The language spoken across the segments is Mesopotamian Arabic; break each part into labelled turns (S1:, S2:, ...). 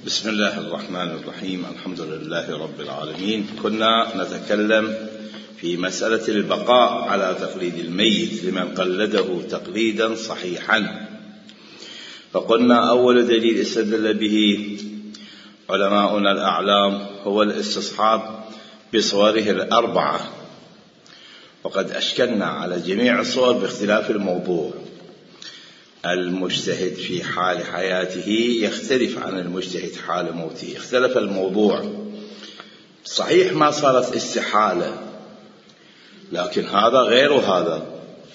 S1: بسم الله الرحمن الرحيم. الحمد لله رب العالمين. كنا نتكلم في مسألة البقاء على تقليد الميت لمن قلده تقليدا صحيحا، فقلنا أول دليل استدل به علماؤنا الأعلام هو الاستصحاب بصوره الأربعة، وقد أشكلنا على جميع الصور باختلاف الموضوع. المجتهد في حال حياته يختلف عن المجتهد حال موته، اختلف الموضوع. صحيح ما صارت استحالة، لكن هذا غير هذا،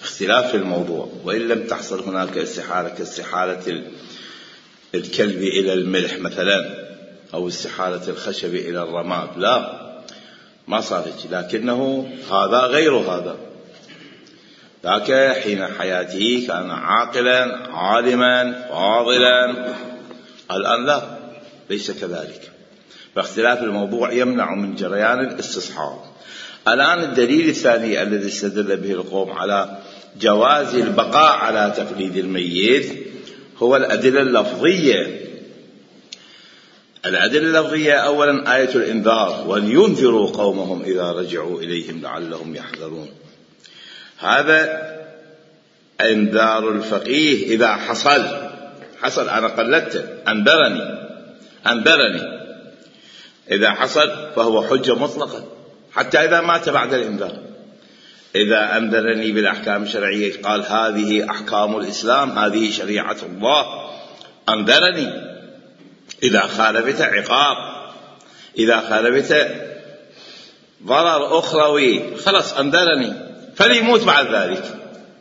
S1: اختلاف الموضوع. وإن لم تحصل هناك استحالة كاستحالة الكلب إلى الملح مثلا، أو استحالة الخشب إلى الرماد، لا ما صارت، لكنه هذا غير هذا. ذاك حين حياته كان عاقلا عالما فاضلا، الآن لا، ليس كذلك. فاختلاف الموضوع يمنع من جريان الاستصحاب. الآن الدليل الثاني الذي استدل به القوم على جواز البقاء على تقليد الميت هو الأدلة اللفظية. الأدلة اللفظية أولا آية الإنذار، ولينذروا قومهم إذا رجعوا إليهم لعلهم يحذرون. هذا انذار الفقيه إذا حصل أنا قلدته، أنذرني إذا حصل فهو حجة مطلقة حتى إذا مات بعد الإنذار. إذا أنذرني بالأحكام الشرعية، قال هذه أحكام الإسلام، هذه شريعة الله، أنذرني. إذا خالفت عقاب، إذا خالفت ضرر أخروي، خلص أنذرني، فليموت بعد ذلك،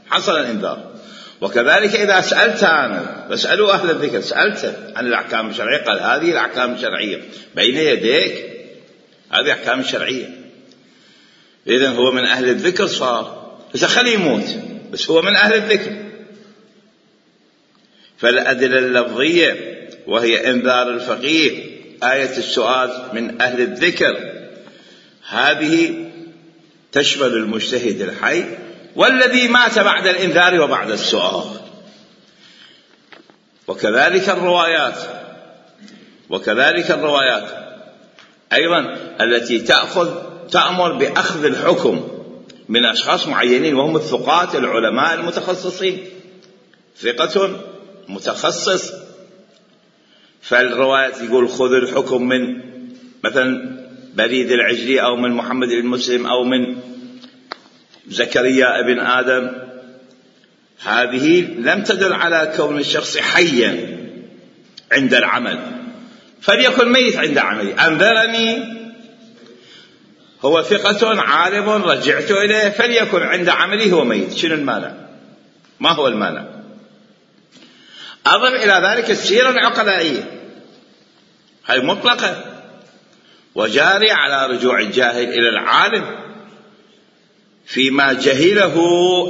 S1: حصل الإنذار. وكذلك إذا سألت أنا، بسألوا أهل الذكر، سألت عن الأحكام الشرعية، قال هذه الأحكام الشرعية بين يديك، هذه أحكام الشرعية. إذن هو من أهل الذكر صار، بس خليه يموت، بس هو من أهل الذكر. فالأدلة اللفظية وهي إنذار الفقيه، آية السؤال من أهل الذكر، هذه تشمل المجتهد الحي والذي مات بعد الإنذار وبعد السؤال. وكذلك الروايات أيضا التي تأمر بأخذ الحكم من أشخاص معينين، وهم الثقات العلماء المتخصصين، ثقة متخصص. فالروايات يقول خذ الحكم من مثلا بريد العجلي، أو من محمد بن مسلم، أو من زكريا ابن آدم. هذه لم تدل على كون الشخص حيا عند العمل، فليكن ميت عند عملي. أنذرني، هو ثقة عالم رجعت إليه، فليكن عند عملي هو ميت. شنو المانع؟ ما هو المانع؟ أضف إلى ذلك السيرة العقلائية، هي مطلقة وجاري على رجوع الجاهل إلى العالم فيما جهله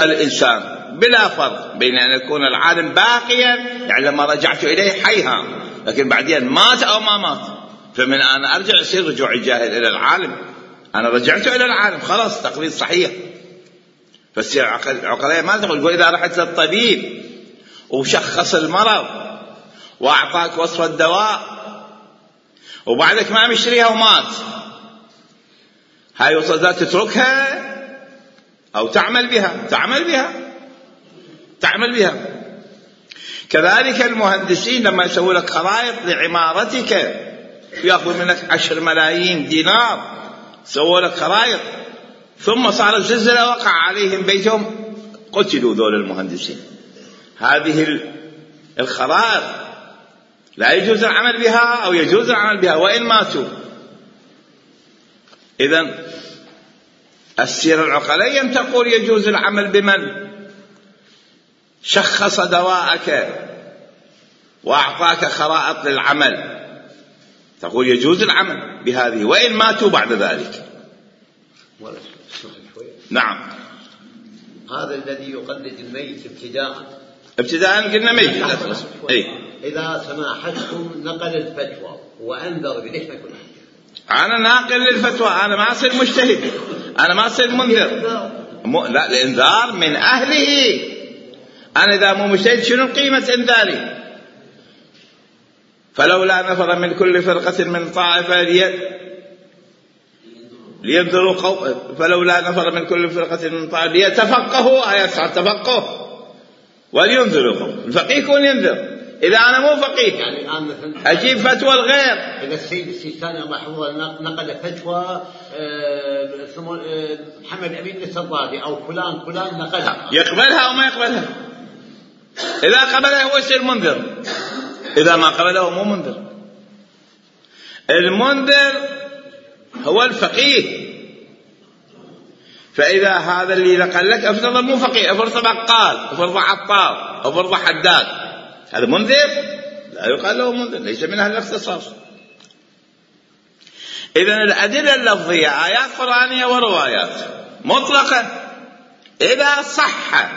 S1: الإنسان، بلا فرق بين أن يكون العالم باقيا، يعني لما رجعت إليه حيها، لكن بعدين مات أو ما مات، فمن أنا أرجع يصير رجوع الجاهل إلى العالم. أنا رجعت إلى العالم، خلاص تقليد صحيح. فالسيرة العقلائية ما تقول إذا رحت للطبيب وشخص المرض وأعطاك وصف الدواء وبعدك ما مشتريها ومات، هاي وصفات تتركها أو تعمل بها. كذلك المهندسين لما يسووا لك خرائط لعمارتك، يأخذ منك 10 ملايين دينار، سووا لك خرائط، ثم صارت زلزلة وقع عليهم بيتهم، قتلوا ذول المهندسين. هذه الخرائط لا يجوز العمل بها أو يجوز العمل بها وإن ماتوا. إذن السيرة العقلية تقول يجوز العمل بمن شخص دواءك وأعطاك خرائط للعمل، تقول يجوز العمل بهذه وإن ماتوا بعد ذلك. نعم.
S2: هذا الذي يقلد الميت
S1: ابتداء قلنا ميت.
S2: إذا سماحتكم نقل الفتوى وأنذر، ليش ما يكون
S1: أنا ناقل للفتوى، أنا ما أصير مجتهد، أنا ما أصير منذر. لا، الإنذار من أهله. أنا إذا مو مجتهد شنو قيمة إنذاري؟ فلولا نفر من كل فرقة من طائفة لينذروا فلولا نفر من كل فرقة من طائفة ليتفقهوا آيات التفقه ولينذروا قوم. الفقيه يكون ينذر. إذا أنا مو فقيه
S2: يعني الآن مثلا
S1: أجيب فتوى الغير.
S2: إذا السيد السيستاني الله يحفظه نقل فتوى محمد أمين السرادي أو فلان نقلها،
S1: يقبلها أو ما يقبلها؟ إذا قبلها هو يصير منذر، إذا ما قبله هو مو منذر. المنذر هو الفقيه. فإذا هذا اللي نقل لك افرض مو فقيه، افرض بقال، افرض عطار، افرض حداد، هذا منذر؟ لا يقال له منذر، ليس من أهل الاختصاص. إذن الأدلة اللفظية آيات قرآنية وروايات مطلقة. إذا صح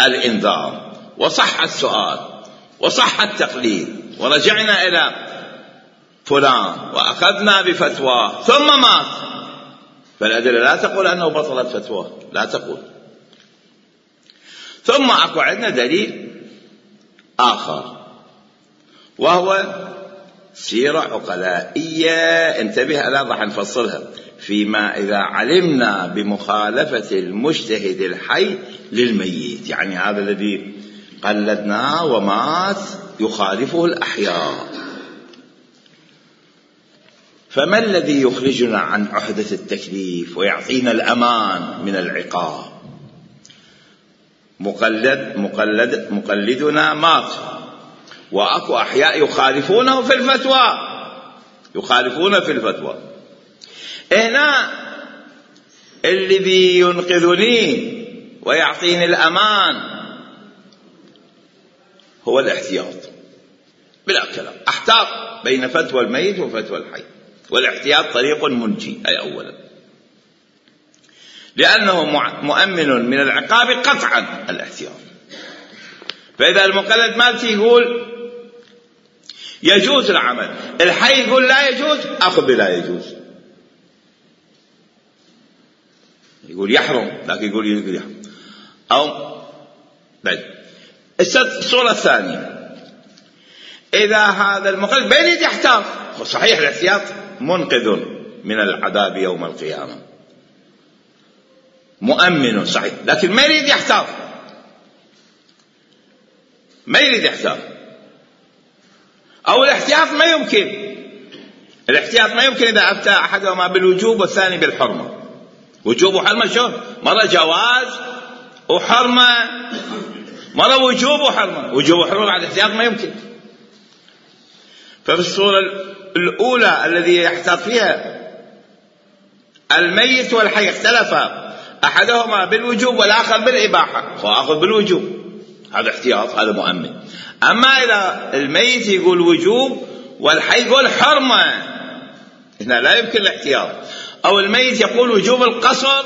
S1: الإنذار وصح السؤال وصح التقليد ورجعنا إلى فلان وأخذنا بفتوى ثم مات، فالأدلة لا تقول أنه بطلت فتوى، لا تقول. ثم أكو عندنا دليل آخر وهو سيرة عقلائية، انتبه ألا راح نفصلها، فيما إذا علمنا بمخالفة المجتهد الحي للميت، يعني هذا الذي قلدناه ومات يخالفه الأحياء. فما الذي يخرجنا عن عهدة التكليف ويعطينا الأمان من العقاب؟ مقلدنا مات وأكو أحياء يخالفونه في الفتوى، يخالفون في الفتوى. هنا الذي ينقذني ويعطيني الأمان هو الاحتياط بلا كلام. احتاط بين فتوى الميت وفتوى الحي، والاحتياط طريق منجي. أي أولا لأنه مؤمن من العقاب قطعا الاحتياط. فإذا المقلد مالتي يقول يجوز العمل، الحي يقول لا يجوز، أخذ بلا يجوز. يقول يحرم لكن يقول يحرم. أو بعد الصورة الثانية، إذا هذا المقلد بين يد يحتاط، صحيح الاحتياط منقذ من العذاب يوم القيامة، مؤمن صحيح، لكن ما يريد يحتاط، ما يريد يحتاط. أو الاحتياط ما يمكن، الاحتياط ما يمكن إذا أفتى أحدهما بالوجوب والثاني بالحرمة. وجوب وحرمة شو؟ مرة جواز وحرمة، مرة وجوب وحرمة. وجوب وحرمة بعد الاحتياط ما يمكن. ففي الصورة الأولى الذي يحتاط فيها الميت والحي اختلفا، أحدهما بالوجوب والآخر بالإباحة، فأخذ بالوجوب، هذا احتياط، هذا مؤمن. أما إذا الميت يقول وجوب والحي يقول حرمة، هنا لا يمكن الاحتياط. أو الميت يقول وجوب القصر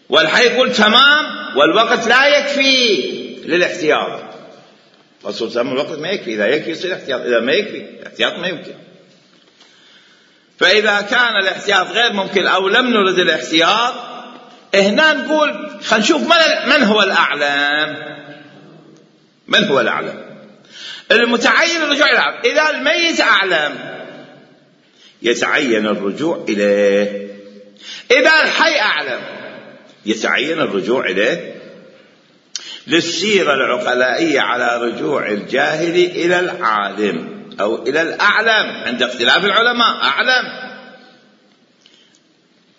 S1: والحي يقول تمام والوقت لا يكفي للاحتياط. قصر تمام الوقت ما يكفي، إذا يكفي يصير احتياط، إذا ما يكفي الاحتياط ما يمكن. فإذا كان الاحتياط غير ممكن أو لم نرد الاحتياط، هنا نقول خلينا نشوف من هو الأعلم. من هو الأعلم؟ المتعين الرجوع إلى الأعلم. إذا الميت أعلم يتعين الرجوع إليه، إذا الحي أعلم يتعين الرجوع إليه. للسيرة العقلائية على رجوع الجاهل إلى العالم أو إلى الأعلم عند اختلاف العلماء. أعلم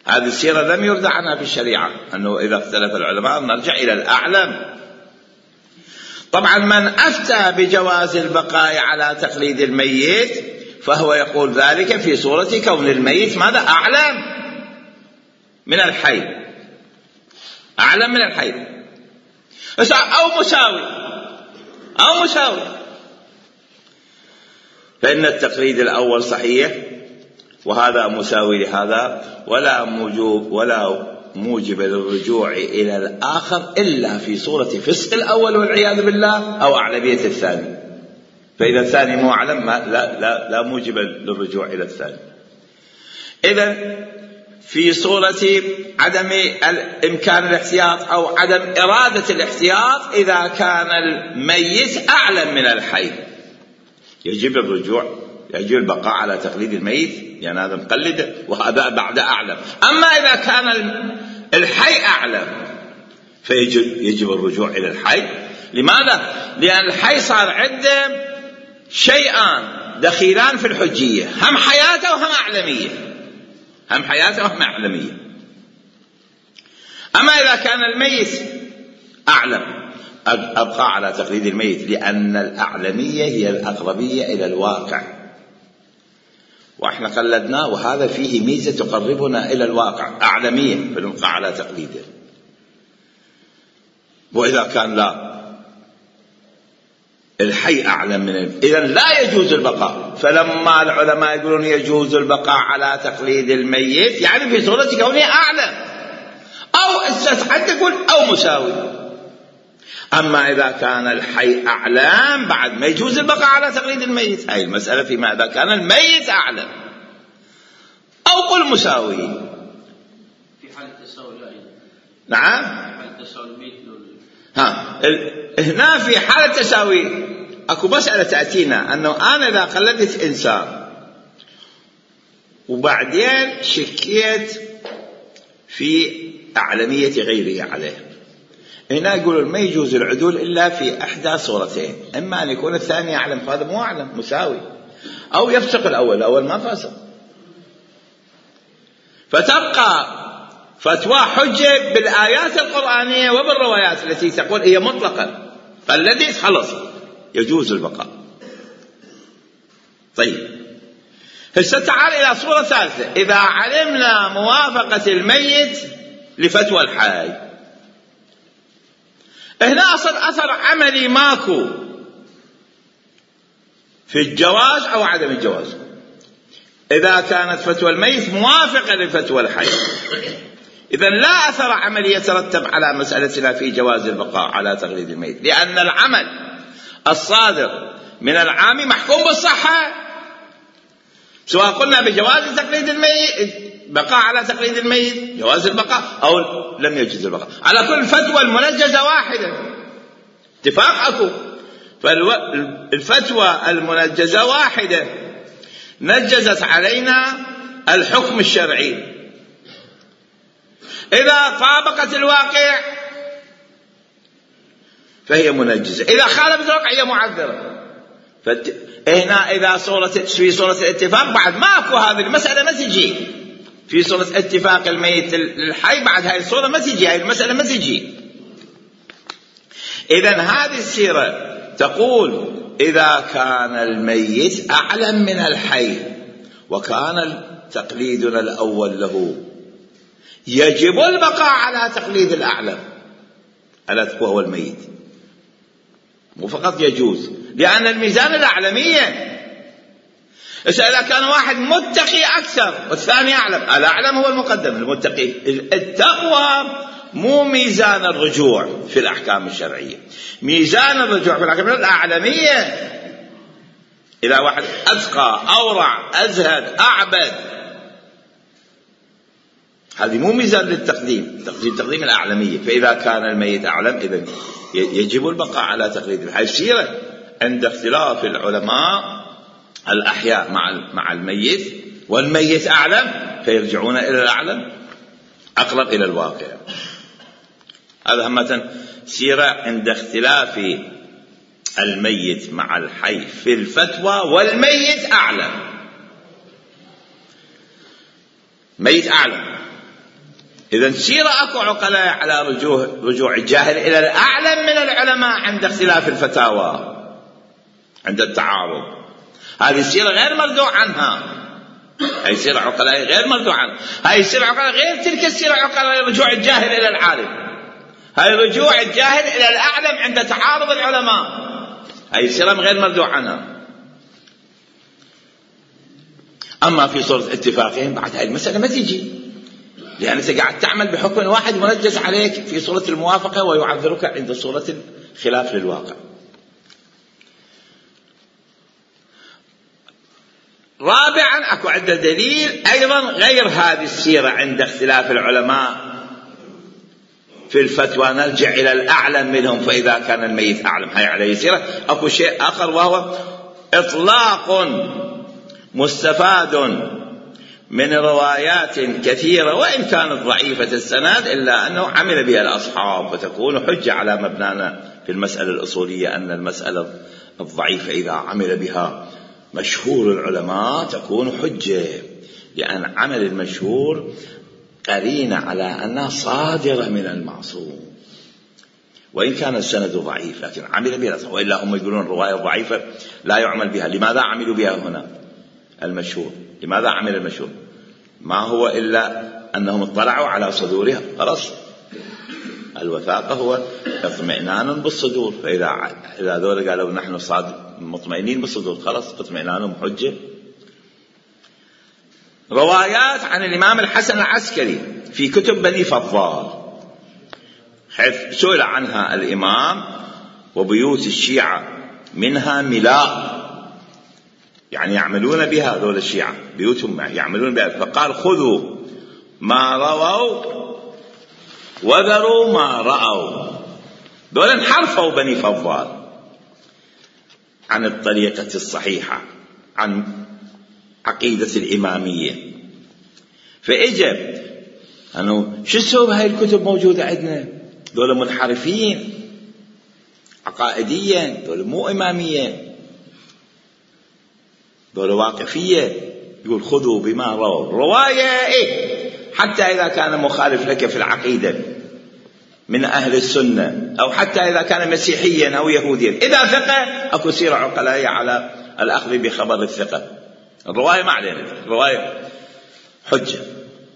S1: هذه السيرة لم يرد عنها في الشريعة، أنه إذا اختلف العلماء نرجع إلى الأعلم. طبعا من أفتى بجواز البقاء على تقليد الميت فهو يقول ذلك في صورة كون الميت ماذا؟ أعلم من الحي، أعلم من الحي، أو مساوي. فإن التقليد الأول صحيح وهذا مساوي لهذا، ولا موجب للرجوع إلى الآخر إلا في صورة فسق الأول والعياذ بالله أو أعلمية الثاني. فإذا الثاني مو أعلم لا موجب للرجوع إلى الثاني. إذن في صورة عدم إمكان الاحتياط أو عدم إرادة الاحتياط إذا كان الميت أعلم من الحي، يجب الرجوع، يجب البقاء على تقليد الميت، يعني هذا مقلد وهذا بعد أعلم. أما إذا كان الحي أعلم فيجب الرجوع إلى الحي. لماذا؟ لأن الحي صار عنده شيئان دخيلان في الحجية، هم حياته وهم أعلمية، هم حياته وهم أعلمية. أما إذا كان الميت أعلم أبقى على تقليد الميت، لأن الأعلمية هي الأقربية إلى الواقع، وإحنا قلدناه، وهذا فيه ميزة تقربنا إلى الواقع، أعلمية، فنبقى على تقليده. وإذا كان لا، الحي أعلم من إذن لا يجوز البقاء. فلما العلماء يقولون يجوز البقاء على تقليد الميت، يعني في صورة كونه أعلم، أو حتى يقول أو مساوي. أما إذا كان الحي أعلم بعد ما يجوز البقاء على تقليد الميت. هاي المسألة فيما إذا كان الميت أعلم أو قل مساوي.
S3: في حالة التساوي لا.
S1: نعم.
S3: في حالة التساوي الميت
S1: هنا في حالة تساوي أكو مسألة تأتينا، أنه أنا إذا قلدت إنسان وبعدين شكيت في أعلمية غيره عليه، هنا يقولون ما يجوز العدول إلا في إحدى صورتين، إما أن يكون الثاني أعلم، هذا مو أعلم مساوي، أو يفسق الأول ما فاسق. فتبقى فتوى حجة بالآيات القرآنية وبالروايات التي تقول هي مطلقا فالذي خلص يجوز البقاء. طيب هسه تعال إلى صورة ثالثة. إذا علمنا موافقة الميت لفتوى الحي، هنا أثر عملي ماكو في الجواز أو عدم الجواز. إذا كانت فتوى الميت موافقة لفتوى الحي، إذن لا أثر عملي يترتب على مسألتنا في جواز البقاء على تقليد الميت، لأن العمل الصادر من العام محكوم بالصحة، سواء قلنا بجواز تقليد الميت، بقاء على تقليد الميت، جواز البقاء، أو لم يجوز البقاء. على كل فتوى المنجزة واحدة، اتفاق أكو. فالفتوى المنجزة واحدة نجزت علينا الحكم الشرعي. إذا طابقت الواقع فهي منجزة، إذا خالفت الواقع هي معذرة. هنا إذا في صورة الاتفاق بعد ما أكو هذه المسألة ما تجي، في صورة اتفاق الميت الحي بعد هاي الصورة ما تجي، هاي المسألة ما تجي. إذن هذه السيرة تقول إذا كان الميت أعلم من الحي وكان تقليدنا الأول له، يجب البقاء على تقليد الأعلم وهو الميت، مو فقط يجوز، لأن الميزان الأعلمية. إذا كان واحد متقي أكثر والثاني أعلم، الأعلم هو المقدم، المتقي. التقوى مو ميزان الرجوع في الأحكام الشرعية، ميزان الرجوع في الأحكام الأعلمية. إذا واحد أتقى أورع أزهد أعبد، هذه مو ميزان للتقديم، تقديم الأعلمية. فإذا كان الميت أعلم إذن يجب البقاء على تقليد الحي. السيرة عند اختلاف العلماء الأحياء مع الميت، والميت أعلم فيرجعون إلى الأعلم أقرب إلى الواقع. هذا همة سيرة عند اختلاف الميت مع الحي في الفتوى، والميت أعلم، ميت أعلم. إذن سيرة أكو عقلاء على رجوع الجاهل إلى الأعلم من العلماء عند اختلاف الفتاوى، عند التعارض. هذه السيرة غير مردوع عنها، هذه سيرة عقلاء غير مردوع عنها. هذه السيرة عقلاء غير تلك السيرة عقلاء رجوع الجاهل إلى العالم، هذه رجوع الجاهل إلى الأعلم عند تعارض العلماء، هذه السيرة غير مردوع عنها. أما في صورة اتفاقهم بعد هذه المسألة ما تجي، لأن أنت قاعد تعمل بحكم واحد منجز عليك في صورة الموافقة ويعذرك عند صورة الخلاف للواقع. رابعا أكو عند دليل أيضا غير هذه السيرة عند اختلاف العلماء في الفتوى، نرجع إلى الأعلم منهم. فإذا كان الميت أعلم، هاي عليه سيرة. أكو شيء آخر وهو إطلاق مستفاد من روايات كثيرة وإن كانت ضعيفة السند، إلا أنه عمل بها الأصحاب، وتكون حجة على مبنانا في المسألة الأصولية أن المسألة الضعيفة إذا عمل بها مشهور العلماء تكون حجة، لأن عمل المشهور قرينة على أنها صادرة من المعصوم وإن كان السند ضعيف، لكن عمل بها الأصحاب. وإلا هم يقولون الرواية ضعيفة لا يعمل بها. لماذا عملوا بها هنا المشهور؟ لماذا عمل المشهور؟ ما هو إلا أنهم اطلعوا على صدورها، خلاص. الوثاقة هو اطمئنان بالصدور، فإذا ذول قالوا نحن صادق مطمئنين بالصدور، خلاص اطمئنانهم حجة. روايات عن الإمام الحسن العسكري في كتب بني فضال، حيث سئل عنها الإمام: وبيوت الشيعة منها ملاء، يعني يعملون بها ذول الشيعة، بيوتهم يعملون بها، فقال: خذوا ما رووا وذروا ما رأوا. دول انحرفوا بني فضال عن الطريقة الصحيحة، عن عقيدة الإمامية. فإجب أنه شو سووا بهاي الكتب موجودة عندنا؟ دول منحرفين عقائديا، دول مو إمامية، دول واقفية. يقول: خذوا بما رووا. رواية حتى إذا كان مخالف لك في العقيدة من أهل السنة، أو حتى إذا كان مسيحيا أو يهوديا، إذا ثقة أكو سيرة عقلائية على الأخذ بخبر الثقة. الرواية ما علينا، الرواية حجة.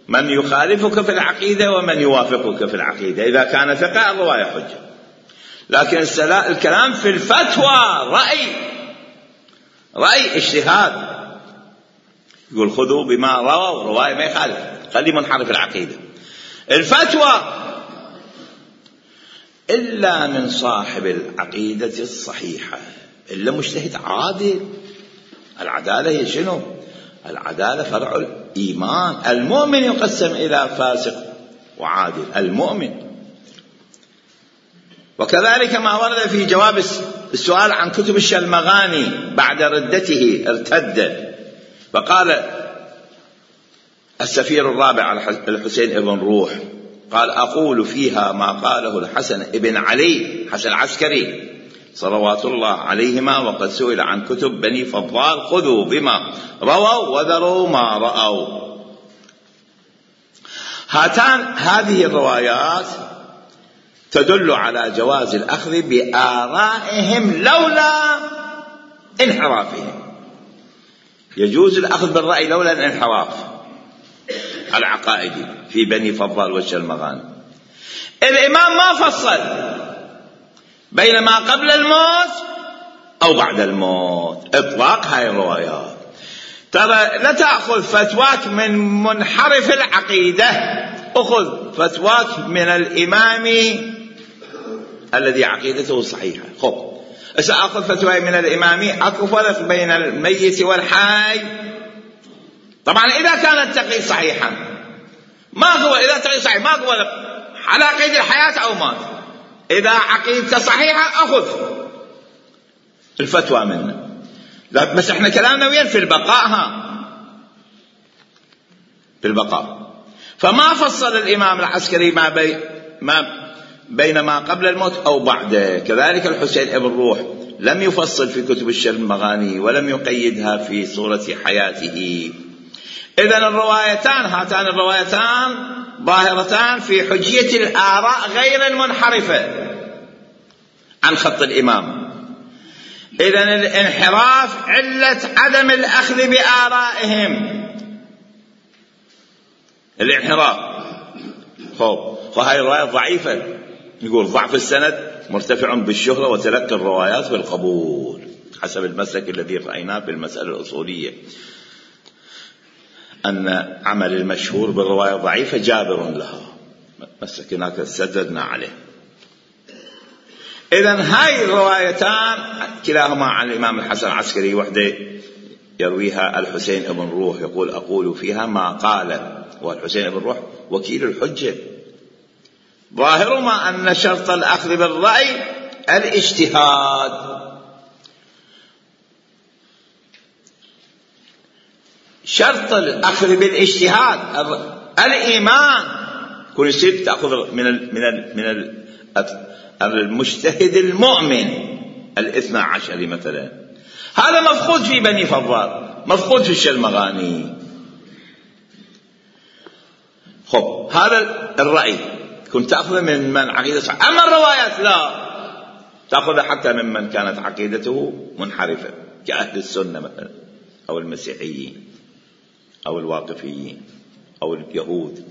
S1: من يخالفك في العقيدة ومن يوافقك في العقيدة، إذا كان ثقة الرواية حجة. لكن الكلام في الفتوى رأي اجتهاد. يقول: خذوا بما رووا. رواية ما يخالف، خلي منحرف العقيدة. الفتوى إلا من صاحب العقيدة الصحيحة، إلا مجتهد عادل. العدالة هي شنو؟ العدالة فرع الإيمان. المؤمن يقسم إلى فاسق وعادل، المؤمن. وكذلك ما ورد في جواب السؤال عن كتب الشلمغاني بعد ردته، ارتد فقال السفير الرابع الحسين ابن روح، قال: أقول فيها ما قاله الحسن ابن علي حسن العسكري صلوات الله عليهما، وقد سئل عن كتب بني فضال: خذوا بما رووا وذروا ما رأوا. هذه الروايات تدل على جواز الأخذ بآرائهم لولا انحرافهم. يجوز الأخذ بالرأي لولا الانحراف العقائدي في بني فضال والشلمغاني. الإمام ما فصل بين ما قبل الموت أو بعد الموت، إطلاق هاي الروايات. ترى لا تأخذ فتواك من منحرف العقيدة، أخذ فتواك من الإمام الذي عقيدته صحيحة. خب سأخذ فتوى من الإمام، أكو فرق بين الميت والحي. طبعا إذا كان التقي صحيحا، ما هو إذا تقي صحيح ما هو على قيد الحياة أو مات، إذا عقيدته صحيحة أخذ الفتوى منه. لا بس احنا كلامنا وين؟ في البقاء. في البقاء. فما فصل الإمام العسكري ما بين ما قبل الموت أو بعده. كذلك الحسين ابن روح لم يفصل في كتب الشلمغاني ولم يقيدها في صورة حياته. إذن هاتان الروايتان ظاهرتان في حجية الآراء غير المنحرفة عن خط الإمام. إذن الانحراف علة عدم الأخذ بآرائهم، الانحراف. وهي الرواية ضعيفة، يقول ضعف السند مرتفع بالشهرة وتلقي الروايات بالقبول، حسب المسلك الذي رأيناه في المسألة الأصولية، أن عمل المشهور بالرواية ضعيفة جابر لها، مسلك هناك سددنا عليه. إذن هاي الروايتان كلاهما عن الإمام الحسن العسكري، وحده يرويها الحسين ابن روح، يقول: أقول فيها ما قال. والحسين ابن روح وكيل الحجة. ظاهرهما أن شرط الأخذ بالرأي الاجتهاد. شرط الأخذ بالاجتهاد الإيمان، كل يصير تأخذ من المجتهد المؤمن 12 مثلا. هذا مفقود في بني فضال، مفقود في الشلمغاني. خب هذا الرأي كنت تأخذ من عقيدة صحيح. أما الروايات لا، تأخذ حتى ممن كانت عقيدته منحرفة كأهل السنة مثلا، أو المسيحيين أو الواقفيين أو اليهود،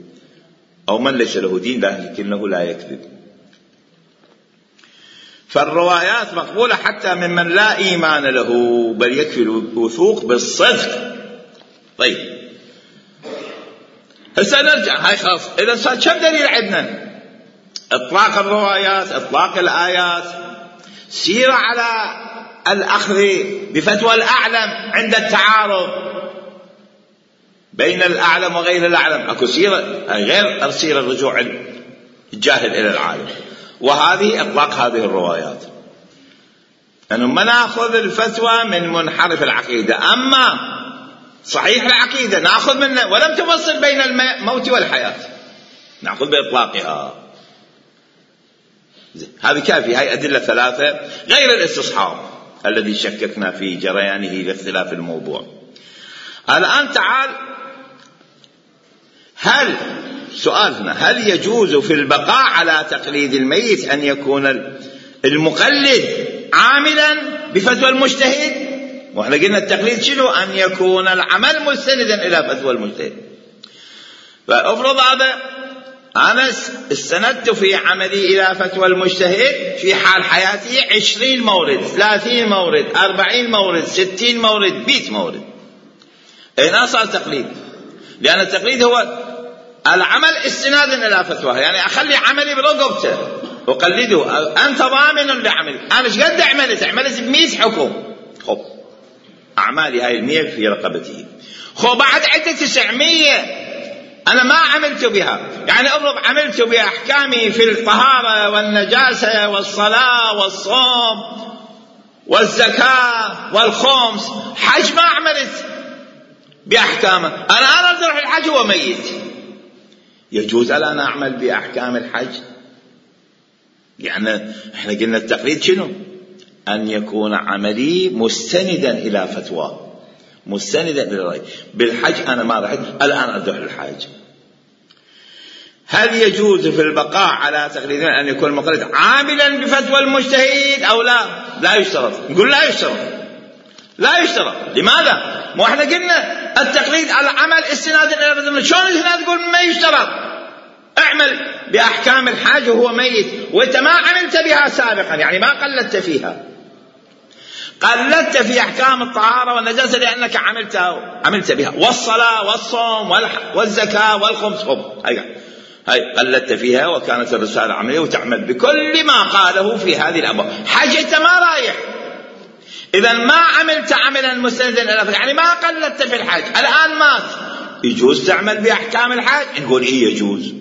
S1: أو من ليس له دين لكنه لا يكذب. فالروايات مقبولة حتى ممن لا إيمان له، بل يكفي الوثوق بالصدق. طيب هسه نرجع، هاي خلاص. إذا صار كم دليل عندنا؟ إطلاق الروايات، إطلاق الآيات، سيرة على الأخذ بفتوى الأعلم عند التعارض بين الأعلم وغير الأعلم، أكو سيرة غير سيرة الرجوع الجاهل إلى العالم. وهذه إطلاق هذه الروايات، أنه ما نأخذ الفتوى من منحرف العقيدة، أما صحيح العقيدة نأخذ منه ولم تفصل بين الموت والحياة، نأخذ بإطلاقها. هذه كافية. هاي أدلة 3 غير الاستصحاب الذي شككنا في جريانه لاختلاف الموضوع. الآن تعال، هل سؤال هنا، هل يجوز في البقاء على تقليد الميت أن يكون المقلد عاملا بفتوى المجتهد؟ واحنا قلنا التقليد شنو؟ أن يكون العمل مستندا إلى فتوى المجتهد. فأفرض هذا أنا استندت في عملي إلى فتوى المجتهد في حال حياتي 20 مورد، 30 مورد، 40 مورد، 60 مورد، 100 مورد. هنا صار تقليد، لأن التقليد هو العمل استنادا إلى فتواه، يعني أخلي عملي برقبته وقلده. أنت ضامن لعملي، أنا ايش قد عملت 100 حكم. خب أعمالي هاي 100 في رقبتي. خب بعد عدة 900 أنا ما عملت بها، يعني أفرض عملت بأحكامي في الطهارة والنجاسة والصلاة والصوم والزكاة والخمس، حج ما عملت بأحكامه، أنا أروح الحج هو ميت. يجوز أن أعمل بأحكام الحج؟ يعني إحنا قلنا التقليد شنو؟ أن يكون عملي مستندا إلى فتوى، مستندا إلى رأي. بالحج أنا ما رحت، الآن أروح الحج. هل يجوز في البقاء على تقليد أن يكون المقلد عاملا بفتوى المجتهد أو لا؟ لا يشترط. نقول لا يشترط، لا يشترط. لماذا؟ ما احنا قلنا التقليد على عمل استنادا الى فتوى. شلون هنا تقول ما يشترط؟ اعمل باحكام الحاج وهو ميت وانت ما عملت بها سابقا، يعني ما قلدت فيها، قلدت في احكام الطهاره والنجاسه لانك عملت بها، والصلاه والصوم والزكاه والخمس. هاي قلدت فيها وكانت الرساله عمليه وتعمل بكل ما قاله في هذه الابواب. حج انت ما رايح، إذا ما عملت عملا مستندا إلى، يعني ما قلدت في الحج، الآن مات، يجوز تعمل بأحكام الحج؟ نقول إيه يجوز.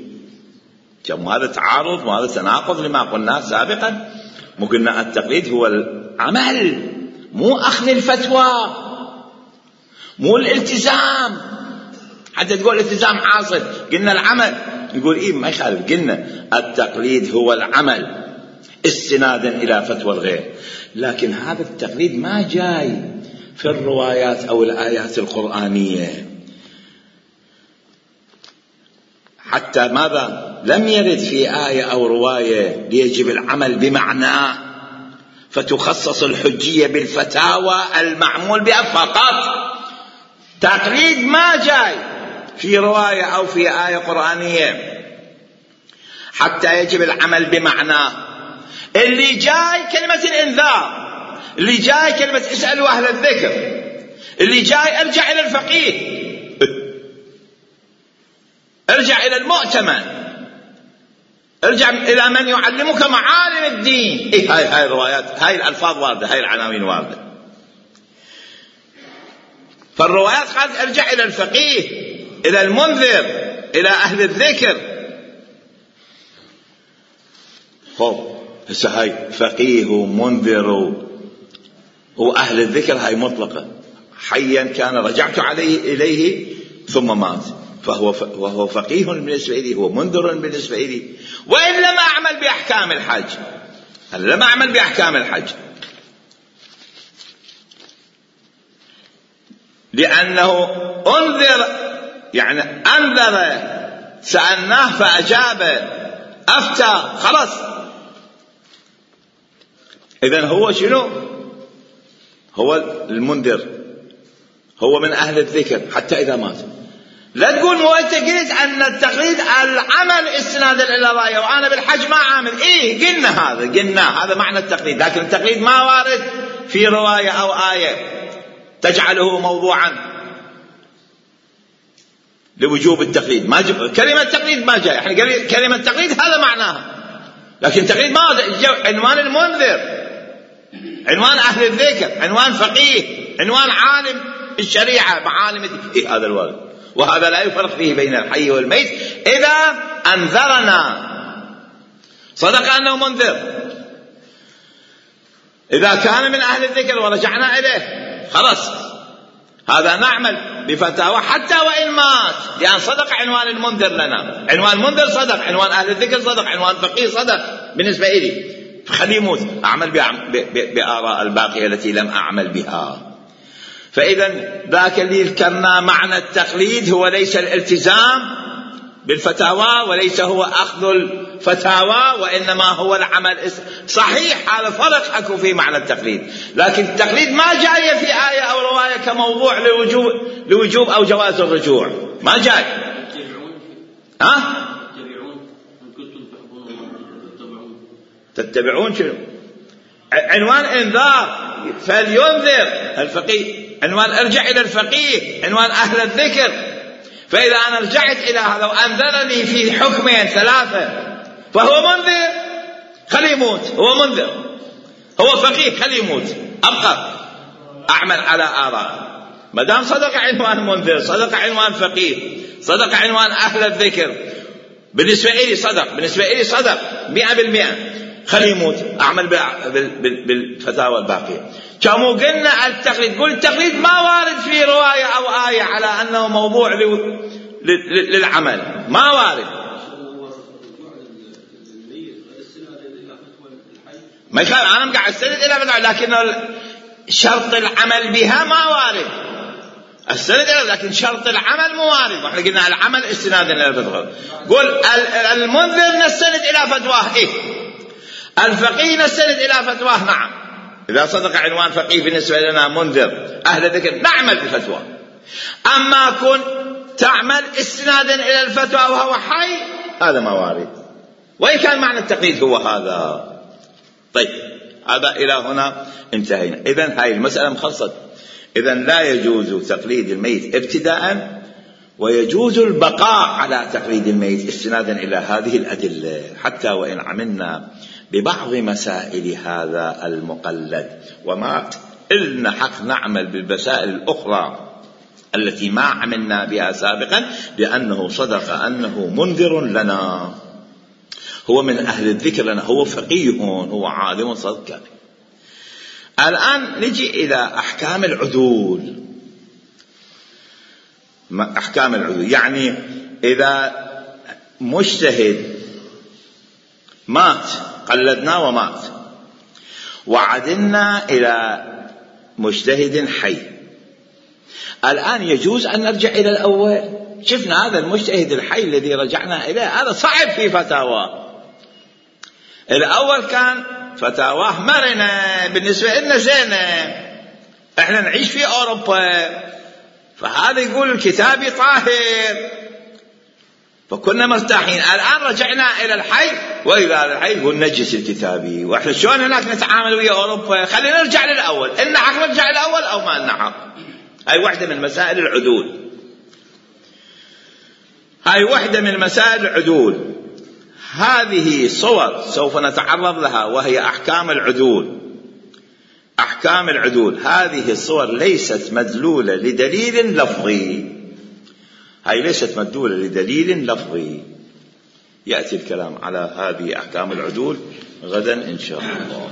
S1: كم هذا تعارض وهذا تناقض لما قلناه سابقا. مو قلنا التقليد هو العمل، مو أخذ الفتوى، مو الالتزام. حتى تقول الالتزام حاصل، قلنا العمل، نقول إيه ما يخالف. قلنا التقليد هو العمل استنادا إلى فتوى الغير، لكن هذا التقليد ما جاي في الروايات أو الآيات القرآنية. حتى ماذا؟ لم يرد في آية أو رواية ليجب العمل بمعناه فتخصص الحجية بالفتاوى المعمول بها فقط. تقليد ما جاي في رواية أو في آية قرآنية حتى يجب العمل بمعناه. اللي جاي كلمة الإنذار، اللي جاي كلمة اسألوا أهل الذكر، اللي جاي ارجع إلى الفقيه، ارجع إلى المؤتمن، ارجع إلى من يعلمك معالم الدين. إيه هاي الروايات، هاي الألفاظ واردة، هاي العناوين واردة. فالروايات قالت ارجع إلى الفقيه، إلى المنذر، إلى أهل الذكر. هسه هاي فقيه ومنذر وأهل الذكر هاي مطلقة، حيا كان رجعت إليه ثم مات، وهو فقيه بالنسبة لي، هو منذر بالنسبة لي، وإن لم أعمل بأحكام الحج. أنا لم أعمل بأحكام الحج لأنه أنذر، يعني أنذر، سألناه فأجاب، أفتى، خلاص. إذن هو شنو؟ هو المنذر، هو من أهل الذكر حتى إذا مات. لا تقول مو أنت قلت أن التقليد العمل استنادا إلى رأيه وأنا بالحج ما عامل. إيه قلنا هذا معنى التقليد، لكن التقليد ما وارد في رواية أو آية تجعله موضوعا لوجوب التقليد. كلمة التقليد ما جاء، يعني كلمة التقليد هذا معناها، لكن التقليد ما عنوان المنذر، عنوان أهل الذكر، عنوان فقيه، عنوان عالم الشريعة معالم الدين. هذا الوارد، وهذا لا يفرق فيه بين الحي والميت. إذا أنذرنا صدق أنه منذر، إذا كان من أهل الذكر ورجعنا إليه خلاص، هذا نعمل بفتاوى حتى وإن مات، لأن صدق عنوان المنذر لنا. عنوان المنذر صدق، عنوان أهل الذكر صدق، عنوان فقيه صدق بالنسبة إلي، فخليه يموت، أعمل بآراء الباقية التي لم أعمل بها. فإذا ذاك اللي ذكرنا معنى التقليد هو ليس الالتزام بالفتاوى، وليس هو أخذ الفتاوى، وإنما هو العمل. صحيح هذا فرق أكو في معنى التقليد، لكن التقليد ما جاي في آية أو رواية كموضوع لوجوب أو جواز الرجوع، ما جاي. تتبعون شنو؟ عنوان انذار، فلينذر الفقيه، عنوان ارجع إلى الفقيه، عنوان أهل الذكر. فإذا أنا رجعت إلى هذا وأنذرني في حكمين ثلاثة فهو منذر، خليه يموت، هو منذر، هو فقيه، خليه يموت، أبقى أعمل على آراء. ما دام صدق عنوان منذر، صدق عنوان فقيه، صدق عنوان أهل الذكر، بالنسبة لي صدق 100%، خليه يموت، أعمل بالفتاوى الباقية. كما قلنا التقليد، قل التقليد ما وارد في رواية أو آية على أنه موضوع للعمل، ما وارد. ما يخالف، أنا مقعد السند إلى بدعة، لكن شرط العمل بها ما وارد. السند إلى، لكن شرط العمل مو وارد. وإحنا قلنا العمل استنادا إلى الفتوى. قل المنذر نستند إلى فتواه، إيه، الفقيه نستند إلى فتواه، نعم. إذا صدق عنوان فقيه بالنسبة لنا منذر أهل الذكر نعمل بفتوى. أما كن تعمل استنادا إلى الفتوى وهو حي، هذا ما وارد، وإن كان معنى التقليد هو هذا. طيب، هذا إلى هنا انتهينا. إذن هاي المسألة مخلصت. إذن لا يجوز تقليد الميت ابتداء، ويجوز البقاء على تقليد الميت استنادا إلى هذه الأدلة، حتى وإن عملنا ببعض مسائل هذا المقلد، وما إلنا حق نعمل بالمسائل الأخرى التي ما عملنا بها سابقا، لأنه صدق أنه منذر لنا، هو من أهل الذكر لنا، هو فقيه، هو عالم صدق. الآن نجي إلى أحكام العدول. أحكام العدول يعني إذا مجتهد مات، قلدناه ومات، وعدلنا إلى مجتهد حي، الآن يجوز أن نرجع إلى الأول. شفنا هذا المجتهد الحي الذي رجعنا إليه هذا صعب في فتاوى. الأول كان فتاواه مرنة بالنسبة لنا زينة، احنا نعيش في أوروبا، فهذا يقول الكتابي طاهر، فكنا مرتاحين. الآن رجعنا إلى الحي، وإذا الحي يقول نجس الكتابي، وإحنا شلون هناك نتعامل ويا أوروبا؟ خلينا نرجع للأول، إن حق نرجع للأول أو ما إن حق. هاي واحدة من مسائل العدول، هاي واحدة من مسائل العدول. هذه صور سوف نتعرض لها، وهي أحكام العدول. أحكام العدول هذه الصور ليست مدلولة لدليل لفظي، هاي ليست مدلولة لدليل لفظي. يأتي الكلام على هذه أحكام العدول غدا إن شاء الله.